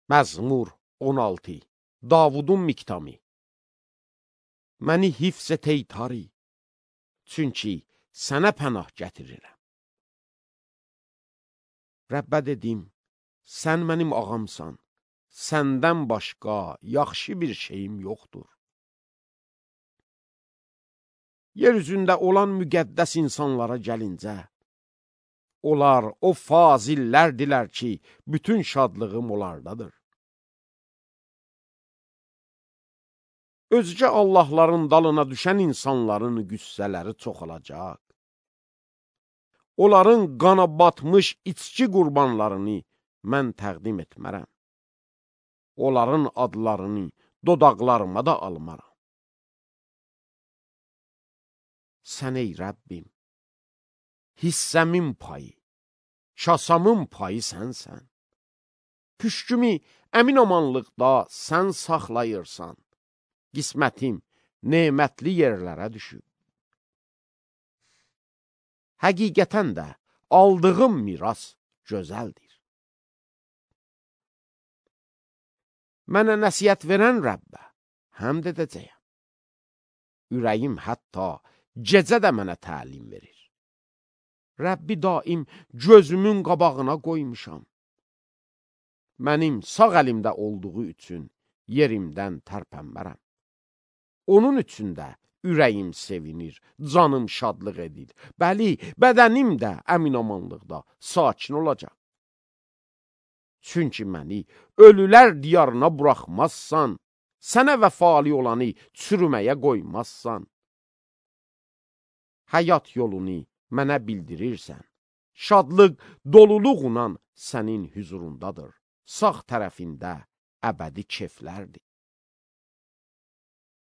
Məzmur 16. Davudun miktami. Məni hifz et ey tari, çünki sənə pənah gətirirəm. Rəbbə dedim, sən mənim ağamsan, səndən başqa yaxşı bir şeyim yoxdur. Yer üzündə olan müqəddəs insanlara gəlincə, onlar o fazillərdilər ki, bütün şadlığım onlardadır. Özgə Allahların dalına düşən insanların qüssələri çoxalacaq. Onların qana batmış içki qurbanlarını mən təqdim etmərəm. Onların adlarını dodaqlarıma da almaram. Sən ey Rəbbim, hissəmin payı, kasamın payı sənsən. Püşkümü əmin-amanlıqda sən saxlayırsan. Qismətim nemətli yerlərə düşüb. Həqiqətən də aldığım miras gözəldir. Mənə nəsiyyət verən Rəbbə həmd edəcəyəm. Ürəyim hətta gecə də mənə təlim verir. Rəbbi daim gözümün qabağına qoymuşam. Mənim sağ əlimdə olduğu üçün yerimdən tərpənmərəm. Onun üçün də ürəyim sevinir, canım şadlıq edir. Bəli, bədənim də əmin-amanlıqda sakin olacaq. Çünki məni ölülər diyarına buraxmazsan, sənə vəfali olanı çürüməyə qoymazsan. Həyat yolunu mənə bildirirsən. Şadlıq doluluğunan sənin hüzurundadır. Sağ tərəfində əbədi keflərdir.